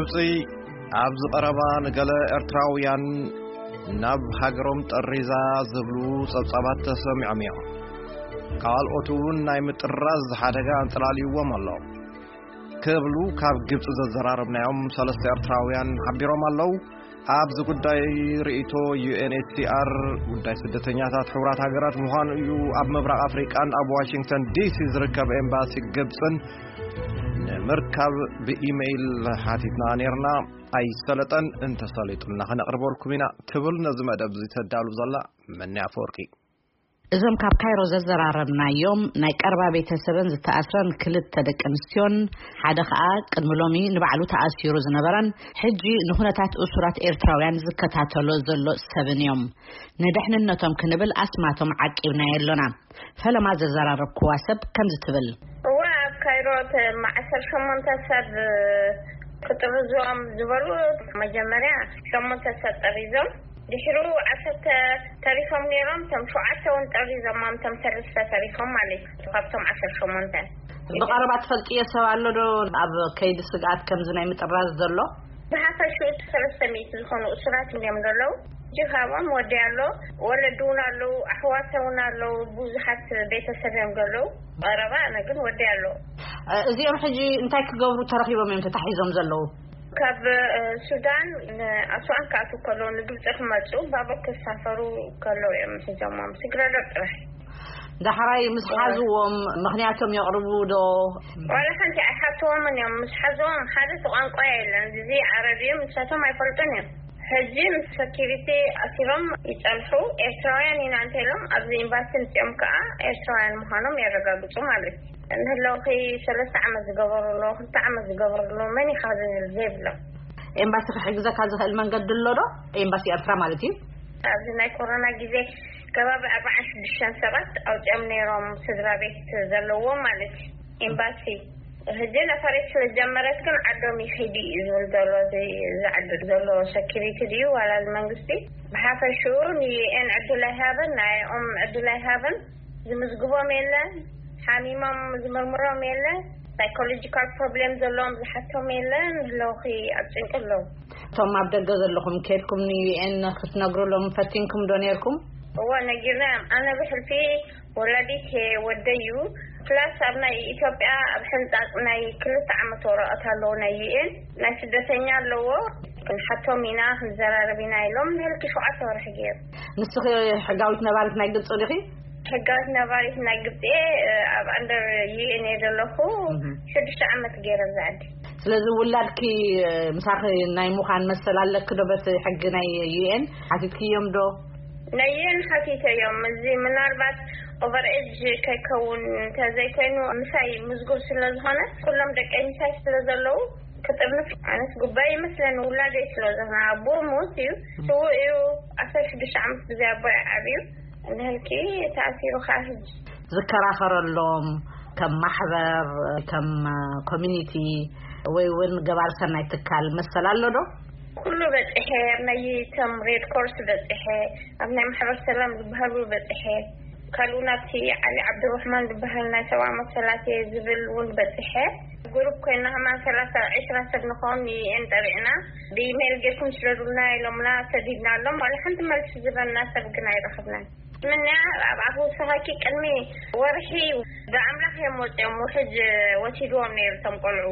ኣብዚ ቀረባ ንገለ ኤርትራውያን ናብ ሃገሮም ጠሪዛ ዝብሉ ጸብጻባት ተሰሚዖም እዮም። ካልኦት እውን ናይ ምጥራዝ ሓደጋ ኣንጸላልይዎም ኣሎ ክብሉ ካብ ግብጺ ዘዘራረብናዮም ሰለስተ ኤርትራውያን ሓቢሮም ኣለዉ። ኣብዚ ጉዳይ ርእይቶ ዩ ኤን ኤች ሲ ኣር፣ ጉዳይ ስደተኛታት ሕቡራት ሃገራት ምዃኑ እዩ ኣብ ምብራቕ ኣፍሪቃን ኣብ ዋሽንግተን ዲ ሲ ዝርከብ ኤምባሲ ግብጽን ንምርካብ ብኢሜይል ሓቲትና ነይርና። ኣይሰለጠን፣ እንተሰሊጡና ከነቕርበልኩም ኢና ትብል ነዚ መደብ እዚ ተዳሉ ዘላ መኒ ኣፈወርቂ። እዞም ካብ ካይሮ ዘዘራረብናዮም ናይ ቀረባ ቤተሰብን ዝተኣስረን ክልተ ደቂ ኣንስትዮን ሓደ ኸኣ ቅድሚ ሎሚ ንባዕሉ ተኣሲሩ ዝነበረን ሕጂ ንኹነታት እሱራት ኤርትራውያን ዝከታተሎ ዘሎ ሰብን እዮም። ንድሕንነቶም ክንብል ኣስማቶም ዓቂብናዮ ኣሎና። ፈለማ ዘዘራረብክዋ ሰብ ከምዚ ትብል። እዋ ኣብ ካይሮ እቶም ዓሰርተ ሸሞንተ ሰብ ክጥርዞም ዝበሉ መጀመርያ ሸሞንተ ሰብ ጠሪዞም፣ ድሕሩ ዓሰርተ ተሪፎም ነይሮም። እቶም ሸውዓተ እውን ጠሪዞም፣ እቶም ሰለስተ ተሪፎም ማለት እዩ ካብቶም ዓሰርተ ሸሞንተ። ብቐረባ ትፈልጥዮ ሰብ ኣሎ ዶ ኣብ ከይዲ ስግኣት ከምዚ ናይ ምጥራዝ ዘሎ? ብሓፈሽኡ ሰለስተ ሚእቲ ዝኾኑ እሱራት እዮም ዘለዉ። ሕጂ ካብኦም ወዲ ኣሎ፣ ወለዲ እውን ኣለዉ፣ ኣሕዋተ እውን ኣለዉ፣ ብዙሓት ቤተሰብ እዮም ዘለዉ። ቀረባ ኣነ ግን ወዲ ኣሎ። እ፣ እዚኦም ሕጂ እንታይ ክገብሩ ተረኺቦም እዮም ተታሒዞም ዘለዉ? ካብ እ፣ ሱዳን ንኣስዋን ክኣትዉ ከለዉ ንግብፂ ክመፁ ባቡር ክሳፈሩ ከለዉ እዮም ሒዞሞም። ስግረዶብ ጥራሕ። ዳሕራይ ምስ ሓዝዎም ምኽንያቶም የቕርቡ ዶ? ዋላ ሓንቲ ኣይሓትዎምን እዮም። ምስ ሓዝዎም ሓደ እቲ ቋንቋ የለን፣ እዚ ዓረብ እዩ፣ ንሳቶም ኣይፈልጡን እዮም። ሕጂ ምስ ሰኪሪቲ ኣሲሮም ይጸንሑ። ኤርትራውያን ኢና እንተ ኢሎም ኣብዚ ኤምባሲ ምጽኦም ከኣ ኤርትራውያን ምዃኖም የረጋግጹ ማለት እዩ። ንህለውኺ ሰለስተ ዓመት ዝገበሩ ኣለዉ፣ ክልተ ዓመት ዝገበሩ ኣለዉ፣ መን ኢኻ ዝብል ዘይብሎም። ኤምባሲ ክሕግዘካ ዝኽእል መንገዲ ኣሎ ዶ? ኤምባሲ ኤርትራ ማለት እዩ። ኣብዚ ናይ ኮሮና ግዜ ከባቢ ኣርባዓን ሽዱሽተን ሰባት ኣውጺኦም ነይሮም፣ ስድራ ቤት ዘለዎም ማለት እዩ። ኤምባሲ ሕጂ ነፈሬት ስለ ዝጀመረት ግን ዓዶም ይኺዱ እዩ ዝብል ዘሎ፣ እዚ ዝዓዱ ዘሎ ሰኪሪቲ ድዩ ዋላ እዚ መንግስቲ? ብሓፈሽኡ ንዩኤን ዕድል ኣይሃበን፣ ናይኦም ዕድል ኣይሃበን። ዝምዝግቦም የለን፣ ሓሚሞም ዝምርምሮም የለን፣ ሳይኮሎጂካል ፕሮብሌም ዘለዎም ዝሓቶም የለን። ህለውኺ ኣብ ጭንቂ ኣለዉ። እቶም ኣብ ደገ ዘለኹም ከድኩም ንዩኤን ክትነግሩሎም ፈቲንኩም ዶ ነይርኩም? እወ ነጊርናዮም። ኣነ ብሕልፊ ወላዲት ወደይ እዩ። ፕላስ ኣብ ናይ ኢትዮጵያ ኣብ ሕንጻጽ ናይ ክልተ ዓመት ወረቐት ኣለዎ ናይ ዩኤን ናይ ስደተኛ ኣለዎ። ክንሓቶም ኢና ክንዘራረብ ኢና ኢሎም ንህልኪ ሸውዓተ ወርሒ ገይሩ። ንስኺ ሕጋዊት ነባሪት ናይ ግብፂ ዲኺ? ሕጋዊት ነባሪት ናይ ግብፂ እየ። ኣብ ኣንደር ዩኤን እየ ዘለኹ። ሽዱሽተ ዓመት ገይረ ኣብዚ ዓዲ። ስለዚ ውላድኪ ምሳኺ ናይ ምዃን መሰል ኣለኪ ዶ በቲ ሕጊ ናይ ዩኤን ሓቲትክዮም ዶ? ናይ ዩኤን ሓቲተዮም። እዚ ምናልባት ኦቨር ኤጅ ከይከውን እንተዘይኮይኑ ምሳይ ምዝጉብ ስለ ዝኾነ ኩሎም ደቀይ ምሳይ ስለ ዘለዉ ክጥርንፍ ኣነስ ጉባኤ ይመስለኒ። ውላደይ ስለ ዝኾነ ኣቦ ሞት እዩ። ስዉእ እዩ። ዓሰርተ ሽዱሽተ ዓመት ብዘይ ኣቦ እዩ ዓብዩ። እንድሕርኪ ተኣሲሩ ከዓ ሕጂ ዝከራኸረሎም ከም ማሕበር፣ ከም ኮሚኒቲ ወይ እውን ገባር ሰናይ ትካል መሰል ኣሎ ዶ? ኩሉ በፂሐ፣ ኣብ ናይ እቶም ሬድ ኮርስ በፂሐ፣ ኣብ ናይ ማሕበር ሰላም ዝበሃሉ በፂሐ፣ ካልኡ ናብቲ ዓሊ ዓብዱራሕማን ዝበሃል ናይ ሰብኣዊ መሰላት እየ ዝብል እውን በፂሐ። ግሩፕ ኮይና ከማን ሰላሳ ዒስራ ሰብ ንኸውን ንዩኤን ጠሪዕና፣ ብኢሜይል ጌርኩም ስደዱልና ኢሎምና፣ ሰዲድና ኣሎም። ዋላ ሓንቲ መልሲ ዝበና ሰብ ግን ኣይረኸብናን። ምንያ ኣብ ኣፍ ወሰኻኪ ቅድሚ ወርሒ ብኣምላኽ እዮም ወፂኦም፣ ውሕጅ ወሲድዎም ነይሩ እቶም ቆልዑ።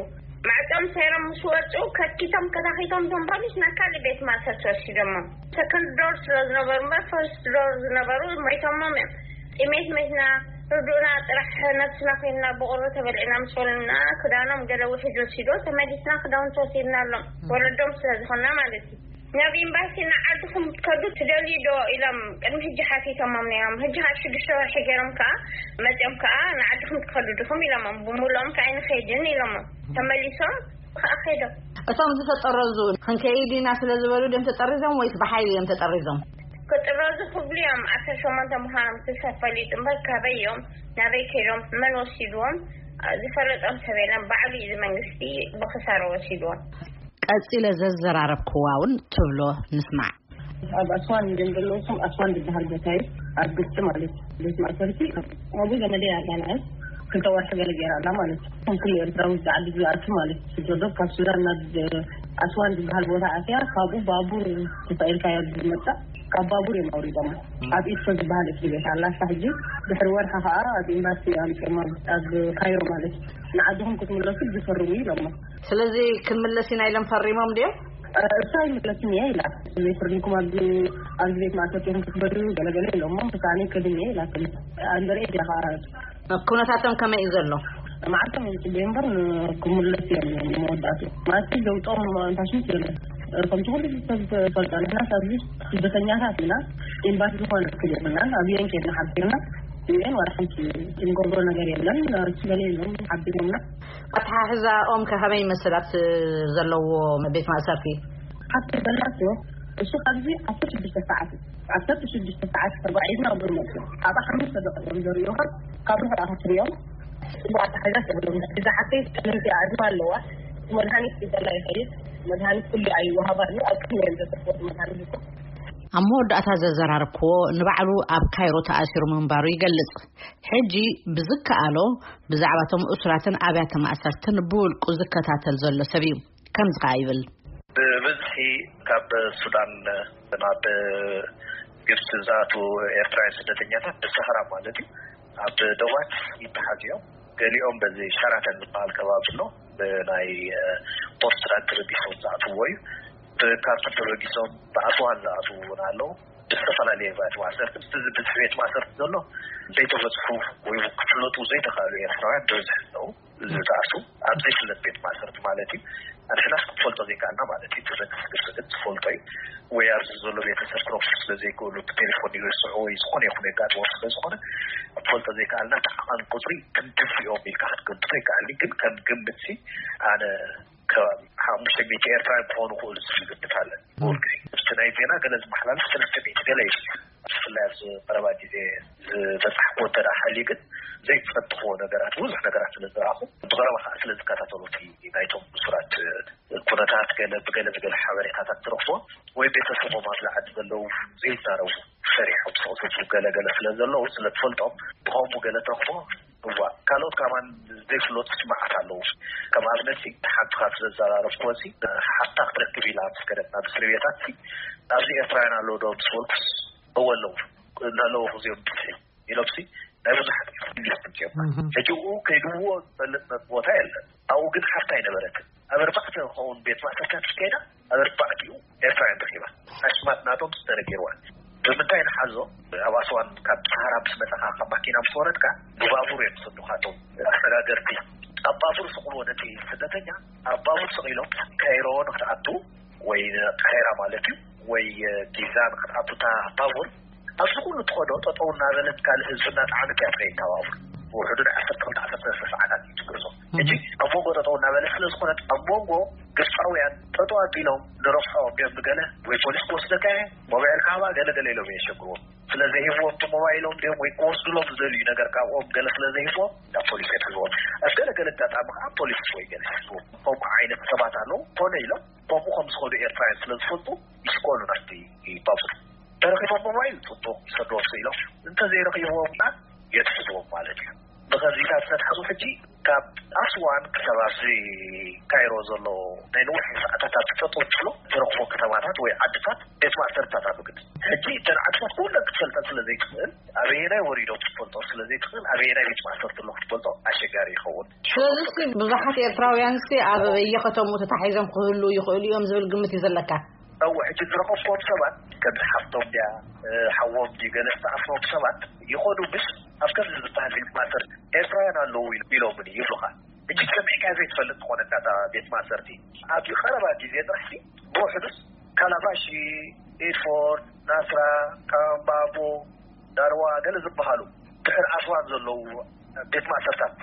ማዕጾም ሰይሮም ምስ ወጹ ከትኪቶም ከታኺቶም እቶም ፖሊስ ናብ ካልእ ቤት ማእሰርቲ ወሲዶሞም። ሰከንድ ዶር ስለ ዝነበሩ እምበር ፈርስት ዶር ዝነበሩ ሞይቶሞም እዮም። ጥሜት መትና ርዱእና ጥራሕ ነብስና ኮይንና ብቑሪ ተበሊዕና ምስ በሉና ክዳኖም ገለ ውሕጅ ወሲዶ ተመሊስና ክዳውንቲ ወሲድና ኣሎም ወለዶም ስለ ዝኾንና ማለት እዩ። ናብ ኤምባሲ ንዓድኹም ክትከዱ ትደልዩ ዶ ኢሎም ቅድሚ ሕጂ ሓቲቶሞም ነይሮም። ሕጂ ካብ ሽዱሽተ ወርሒ ገይሮም ከዓ መፂኦም ከዓ ንዓድኹም ክትከዱ ድኹም ኢሎሞም። ብምልኦም ከዓ ኣይንኸይድን ኢሎሞም። ተመሊሶም ከዓ ከይዶም። እቶም ዝተጠረዙ ክንከይድ ኢና ስለ ዝበሉ ድዮም ተጠሪዞም ወይስ ብሓይሊ እዮም ተጠሪዞም? ክጥረዙ ክብሉ እዮም። ዓሰርተ ሸሞንተ ምዃኖም ክሳብ ፈሊጡ እምበር ካበይ እዮም ናበይ ከይዶም መን ወሲድዎም ዝፈለጦም ሰብ የለን። ባዕሉ እዩ እዚ መንግስቲ ብክሳራ ወሲድዎም። ቀጺለ ዘዘራረብክዋ እውን ትብሎ ንስማዕ። ኣብ ኣስዋን እዮም ዘለዉ። እቶም ኣስዋን ዝበሃል ቦታ እዩ፣ ኣብ ግብፂ ማለት እዩ። ቤት ማእሰርቲ ኣብኡ ዘመደይ ኣላ፣ ንዓይ ክልተ ወርሒ ገለ ገይራ ኣላ ማለት እዩ። እቶም ኩሉ ኤርትራዊ ዝዓዲ ዝኣቱ ማለት እዩ። ስደዶ ካብ ሱዳን ናብ ኣስዋን ዝበሃል ቦታ ኣትያ፣ ካብኡ ባቡር ተሳኢልካ እያ ዝመጻ። ካብ ባቡር እዮም ኣውሪዶማ። ኣብ ኢስኮ ዝበሃል እስር ቤት ኣላ። ኣስታ ሕጂ ድሕሪ ወርሒ ከዓ ኣብ ኤምባሲ ኣምፅኦም፣ ኣብ ካይሮ ማለት እዩ። ንዓድኹም ክትምለሱ ዝፈርሙ ኢሎማ። ስለዚ ክንምለስ ኢና ኢሎም ፈሪሞም ድዮም? እሳ ይምለስን እያ ኢላ። ዘይፈርድኩም ኣብዚ ኣብዚ ቤት ማእሰርቲ ኢኹም ክትበድሉ ገለገለ ኢሎሞ። ብሳኔ ከድን እየ ኢላትኒ። ኣንደርኤ ዲያ ከዓ ኩነታቶም ከመይ እዩ ዘሎ? መዓልቶም ይፅበዩ እምበር ክምለስ እዮም። መወዳእቱ ማለት ዘውፅኦም እንታሽም የለን። ከምቲ ኩሉ ሰብ ዝፈልጦ ንሕና ኣብዚ ስደተኛታት ኢና። ኤምባሲ ዝኾነ ክል የብልናን። ኣብየን ከድና ሓቢርና ዩኤን ዋላ ሓንቲ እንገብሮ ነገር የለን። ስበለ ኢሎም ሓቢሮምና። ኣተሓሕዛኦም ከ ከመይ ይመስል ኣብቲ ዘለዎ ቤት ማእሰርቲ? ሓንቲ ዘላቶ እሱ ካብዚ ዓሰርተ ሽዱሽተ ሰዓት እዩ። ዓሰርተ ሽዱሽተ ሰዓት ተባዒድና ኣብኡ መፅኡ። ኣብኣ ሓሙሽተ ደቂ እዮም ዘርእዩኻ። ካብ ርሑቕ ኣኻ ትሪኦም። ጽቡቕ ኣተሓሕዛ ተብሎም። እዛ ሓተይ ጠለምቲ ኣዕድማ ኣለዋ። መድሃኒት ክገላ ይኸይድ። መድሃኒት ኩሉ ኣይወሃባን እዩ። ኣብ ቅድሚ እዮም ዘሰፍወት መድሃኒት እኮ። ኣብ መወዳእታ ዘዘራረብክዎ ንባዕሉ ኣብ ካይሮ ተኣሲሩ ምንባሩ ይገልጽ። ሕጂ ብዝከኣሎ ብዛዕባ እቶም እሱራትን ኣብያተ ማእሰርትን ብውልቁ ዝከታተል ዘሎ ሰብ እዩ። ከምዚ ከኣ ይብል። ብብዝሒ ካብ ሱዳን ናብ ግብፂ ዝኣትዉ ኤርትራውያን ስደተኛታት ብሰሃራ ማለት እዩ ኣብ ደባት ይተሓዙ እዮም። ገሊኦም በዚ ሸራተን ዝበሃል ከባቢ ኣሎ፣ ብናይ ፖርት ሱዳን ተበጊሶም ዝኣትውዎ እዩ። ብካርቱም ተበጊሶም ብኣስዋን ዝኣትዉ እውን ኣለዉ። ብዝተፈላለየ ቤት ማእሰርቲ፣ ምስቲ እዚ ብዝሒ ቤት ማእሰርቲ ዘሎ ዘይተበፅሑ ወይ ክፍለጡ ዘይተኽኣሉ ኤርትራውያን ብብዝሒ ኣለዉ። ዝተኣስሩ ኣብ ዘይፍለጥ ቤት ማእሰርቲ ማለት እዩ። ኣንሕናስ ክንፈልጦ ዘይከኣልና ማለት እዩ። እቲ መንግስቲ ግብፂ ግን ዝፈልጦ እዩ። ወይ ኣብዚ ዘሎ ቤተሰብ ክረኽቡ ስለ ዘይክእሉ ብቴሌፎን ይርስዑ ወይ ዝኾነ ይኹን የጋጥሞም ስለ ዝኾነ ክንፈልጦ ዘይከኣልና፣ እቲ ዓቐን ቁፅሪ ክንድፊኦም ኢልካ ክትገምቶ ይከኣል እዩ። ግን ከም ግምት ሲ ኣነ ከባቢ ሓሙሽተ ሚእቲ ኤርትራውያን ክኾኑ ክእሉ ዝብል ግምት ኣለ። ብኩሉ ግዜ ምስቲ ናይ ዜና ገለ ዝመሓላለፍ ሰለስተ ሚእቲ ገለ እዩ። ብፍላይ ኣብዚ ቀረባ ግዜ ዝበጻሕክዎ እንተ ደኣ ሃልዩ ግን ዘይትፈትኽዎ ነገራት፣ ብዙሕ ነገራት ስለ ዝረኣኹ፣ ብቐረባ ከኣ ስለ ዝከታተሉ፣ እቲ ናይቶም እሱራት ኩነታት ገለ ብገለ ብገለ ሓበሬታታት ትረኽቦ፣ ወይ ቤተሰቦም ኣብዚ ዓዲ ዘለዉ ዘይዛረቡ፣ ፈሪሖም ስቕ ዝብሉ ገለ ገለ ስለ ዘለዉ፣ ስለ ትፈልጦም፣ ብኸምኡ ገለ ትረኽቦ። እዋ፣ ካልኦት ከማን ዘይፍለጡ መዓት ኣለዉ። ከም ኣብነት ሲ፣ ሓንቲ ካብ ስለ ዘዘራረብክዎ ሲ፣ ሓፍታ ክትረክብ ኢላ ምስ ከደት ናብ እስሪ ቤታት ሲ፣ ኣብዚ ኤርትራውያን ኣለዉ ዶ ምስ በልኩስ፣ እወ ኣለዉ። እናለዉ እዚኦም ብዝሒ ኢሎም ሲ፣ ናይ ብዙሓት ኢንቨስትመንት እዮም። እህ። ሕጂ እኡ ከይድዎ ዝፈልጥ ቦታ የለን። ኣብኡ ግን ሓፍታ ኣይነበረትን። ኣብ ኣርባዕተ ክኸውን ቤት ማእሰርታት ከይዳ፣ ኣብ ኣርባዕቲኡ ኤርትራውያን ረኺባ። ኣሽማት ናቶም ተነጊርዋ። ብምንታይ ንሓዞ? ኣብ ኣስዋን ካብ ሰሃራ ምስ መጻኻ፣ ካብ ማኪና ምስ ወረድካ፣ ብባቡር እዮም ዝሰዱኻ እቶም ኣሰጋገርቲ። ኣብ ባቡር ስቕልዎ ነቲ ስደተኛ፣ ኣብ ባቡር ስቕ ኢሎም ካይሮ ንክትኣቱ፣ ወይ ቃሂራ ማለት እዩ፣ ወይ ጊዛ ንክትኣቱ እታ ባቡር፣ ኣብዚ ኩሉ ትኸዶ ጠጠው እናበለት ካልእ ህዝቢ እናጠዓመት እያ ትኸይድ እታ ባቡር። ብውሕዱ ናይ ዓሰርተ ክልተ ዓሰርተ ሰለስተ ሰዓታት እዩ ትጉዕዞ። ሕጂ ኣብ መንጎ ጠጠው እናበለት ስለ ዝኾነት፣ ኣብ መንጎ ግብፃውያን ጠጠው ኣቢሎም ንረብሖ እዮም ንገለ ወይ ፖሊስ ክወስደካ እየ፣ ሞባይልካ ሃባ፣ ገለ ገለ ኢሎም እዮም የሸግርዎም። ስለ ዘይህብዎም እቲ ሞባይሎም ድዮም ወይ ክወስዱሎም ዝደልዩ ነገር ካብኦም ገለ ስለ ዘይህብዎም ናብ ፖሊስ የትሕዝዎም። ኣብ ገለ ገለ ኣጋጣሚ ከዓ ፖሊስ ወይ ገለ ይሕዝዎም። ከምኡ ዓይነት ሰባት ኣለዉ። ኮነ ኢሎም ከምኡ ከም ዝኸዱ ኤርትራውያን ስለ ዝፈልጡ ይስቆሉ ናብቲ ባቡር። ተረኺቦም ሞባይል ጽቡቕ ይሰድዎም ኢሎም፣ እንተዘይረኺብዎም ከዓ የትሕዝዎም ማለት እዩ። ብኸዚታት ዝተትሓዙ ሕጂ ካብ ኣስዋን ክሳብ ኣብዚ ካይሮ ዘሎ ናይ ነዊሕ ሰዓታት ኣብ ጠጠው ትብሎ ዝረኽቦ ከተማታት ወይ ዓድታት ቤት ማእሰርታት ኣሎ። ግን ሕጂ እተን ዓድታት ኩለን ክትፈልጠን ስለ ዘይትኽእል፣ ኣበየናይ ወሪዶም ክትፈልጦ ስለ ዘይትኽእል፣ ኣበየናይ ቤት ማእሰርቲ ኣሎ ክትፈልጦ ኣሸጋሪ ይኸውን። ስለዚ እስቲ ብዙሓት ኤርትራውያን እስቲ ኣብ በየከተምኡ ተታሒዞም ክህሉ ይኽእሉ እዮም ዝብል ግምት እዩ ዘለካ? እወ፣ ሕጂ ዝረኸብክዎም ሰባት ከም ሓፍቶም ድያ፣ እ፣ ሓዎም ድዩ ገለ ዝተኣስሮም ሰባት ይኾኑ፣ ምስ ኣብ ከምዚ ዝበሃል ቤት ማእሰርቲ ኤርትራውያን ኣለዉ ኢሎ-፣ ኢሎምኒ ይብሉኻ። ሕጂ ሰሚዕካ ዘይትፈልጥ ዝኾነካ እታ ቤት ማእሰርቲ። ኣብ ቀረባ ግዜ ጥራሕ ሲ፣ ብውሕዱስ ካላባሺ፣ ኤድፎርድ፣ ናስራ፣ ካምባቦ፣ ዳርዋ ገለ ዝበሃሉ ድሕሪ ኣስዋን ዘለዉ ቤት ማእሰርታት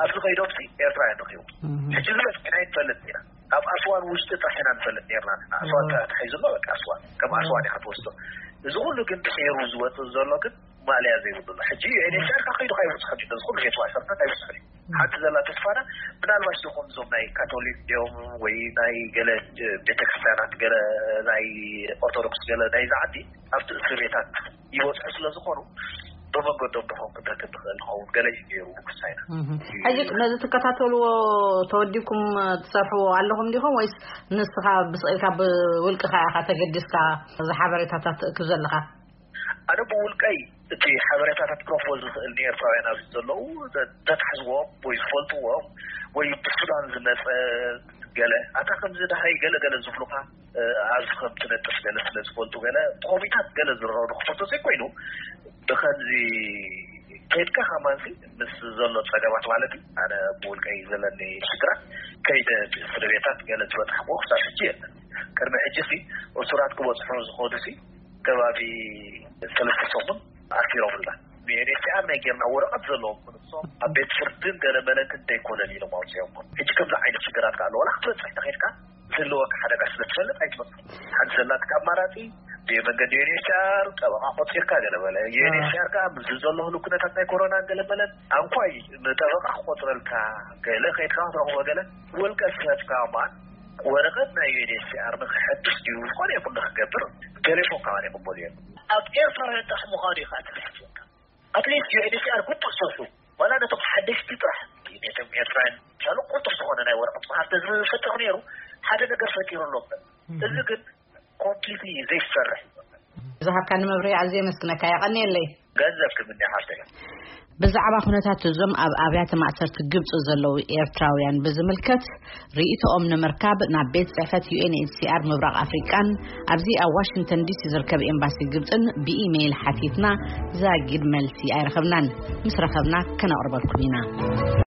ኣብዚ ከይዶም ሲ ኤርትራውያን ረኺቡ። እህ። ሕጂ ዝበጽሐና ኣይንፈልጥ ኢና። ኣብ ኣስዋን ውሽጢ ጥራሕ ኢና ንፈልጥ ነርና። ንሕና ኣስዋን እህ። ተታሒዙ ኣሎ፣ በቃ ኣስዋን። ከም ኣስዋን እህ። ኢኻ ትወስዶ። እዚ ኩሉ ግን ድሒሩ ዝወጽእ ዘሎ ግን ማእለያ ዘይብሉ ኣሎ። ሕጂ ዩ ኤን ኤች ሲ ኣር ከይዱ ከይበጽሖ እዩ። እዚ ኩሉ ቤት ማእሰርታት ኣይበጽሖን እዩ። እህ። ሓንቲ ዘላ ተስፋና፣ ምናልባሽ ዶ ከምዞም ናይ ካቶሊክ ድዮም ወይ ናይ ገለ ቤተክርስትያናት፣ ገለ ናይ ኦርቶዶክስ፣ ገለ ናይዚ ዓዲ ኣብቲ እስር ቤታት ይበጽሑ ስለ ዝኾኑ፣ ዶ ብመንገዶም ድኾን ክደክም ትኽእል ንኸውን ገለ እዩ ገይሩ ንክሳይና። ሕጂ ነዚ ትከታተልዎ ተወዲኩም ትሰርሕዎ ኣለኹም ዲኹም ወይስ ንስኻ ብስቕኢልካ ብውልቅኻ ኢኻ ተገዲስካ እዚ ሓበሬታታት ትእክብ ዘለኻ? ኣነ ብውልቀይ እቲ ሓበሬታታት ክረኽቦ ዝኽእል ንኤርትራውያን ኣብዚ ዘለዉ ዘተሓዝዎም ወይ ዝፈልጥዎም ወይ ብሱዳን ዝመፀ ገለ ኣታ ከምዚ ደሃይ ገለ ገለ ዝብሉኻ ኣብዚ ከም ትነጥፍ ገለ ስለ ዝፈልጡ ገለ ብኮሚታት ገለ ዝረኸቡ ክፈቶ ዘይኮይኑ ብኸምዚ ከይድካ ከማንሲ ምስ ዘሎ ፀገማት ማለት እዩ። ኣነ ብውልቀይ ዘለኒ ሽግራት ከይደ ስለ ቤታት ገለ ዝበፅሓ ክሳብ ሕጂ የለን። ቅድሚ ሕጂ ሲ እሱራት ክበፅሑ ዝኸዱ ሲ ከባቢ ሰለስተ ሰሙን ኣሲሮምላ። ዩኤንኤችሲኣር ናይ ጌርና ወረቐት ዘለዎም ክንሶም ኣብ ቤት ፍርድን ገለ መለክን ዘይኮነን ኢሎም ኣውፅኦም። ሕጂ ከምዚ ዓይነት ሽግራት ከዓ ኣለዎ ክትበፅሕ ተኸድካ ዝህልወካ ሓደጋ ስለ ትፈልጥ ኣይትበፅሕ። ሓንቲ ዘላትካ ኣማራፂ ብመንገዲ ዩኤንኤችሲኣር ጠበቃ ቆፂርካ ገለ በለ። ዩኤንኤችሲኣር ከዓ ምስ ዘሎ ህሉ ኩነታት ናይ ኮሮና ገለ መለን ኣንኳይ ንጠበቃ ክቆፅረልካ ገለ ከይድካ ክትረኽቦ ገለ ውልቀ ሰብካ ማን ወረቐት ናይ ዩኤንኤችሲኣር ንክሐድስ ድዩ ዝኾነ ይኹን ንክገብር ቴሌፎን ከዓ ይቕበሉ እዮም። ኣብ ኤርትራውያን ጥራሕ ምዃኑ እዩ ከዓ ተረዲእካ። ኣትሊስት ዩኤንኤችሲኣር ግቡእ ሰርሑ ዋላ ነቶም ሓደሽቲ ጥራሕ ነቶም ኤርትራውያን ቻሉ ቁልጡፍ ዝኾነ ናይ ወረቐት መሃር ተዝፈጥር ነይሩ ሓደ ነገር ፈጢሩ ኣሎ። እዚ ግን ኮምፕሊትሊ ዘይሰርሕ እዩ። ዝሃብካኒ መብርሂ ኣዝየ የመስግነካ። የቐንየለይ። ገንዘብ ክምንያ ሓፍተይ። ብዛዕባ ኩነታት እዞም ኣብ ኣብያተ ማእሰርቲ ግብፂ ዘለዉ ኤርትራውያን ብዝምልከት ርእይቶኦም ንምርካብ ናብ ቤት ፅሕፈት ዩኤንኤችሲኣር ምብራቕ ኣፍሪቃን ኣብዚ ኣብ ዋሽንግተን ዲሲ ዝርከብ ኤምባሲ ግብፅን ብኢሜይል ሓቲትና ዛጊድ መልሲ ኣይረኸብናን። ምስ ረኸብና ከነቕርበልኩም ኢና።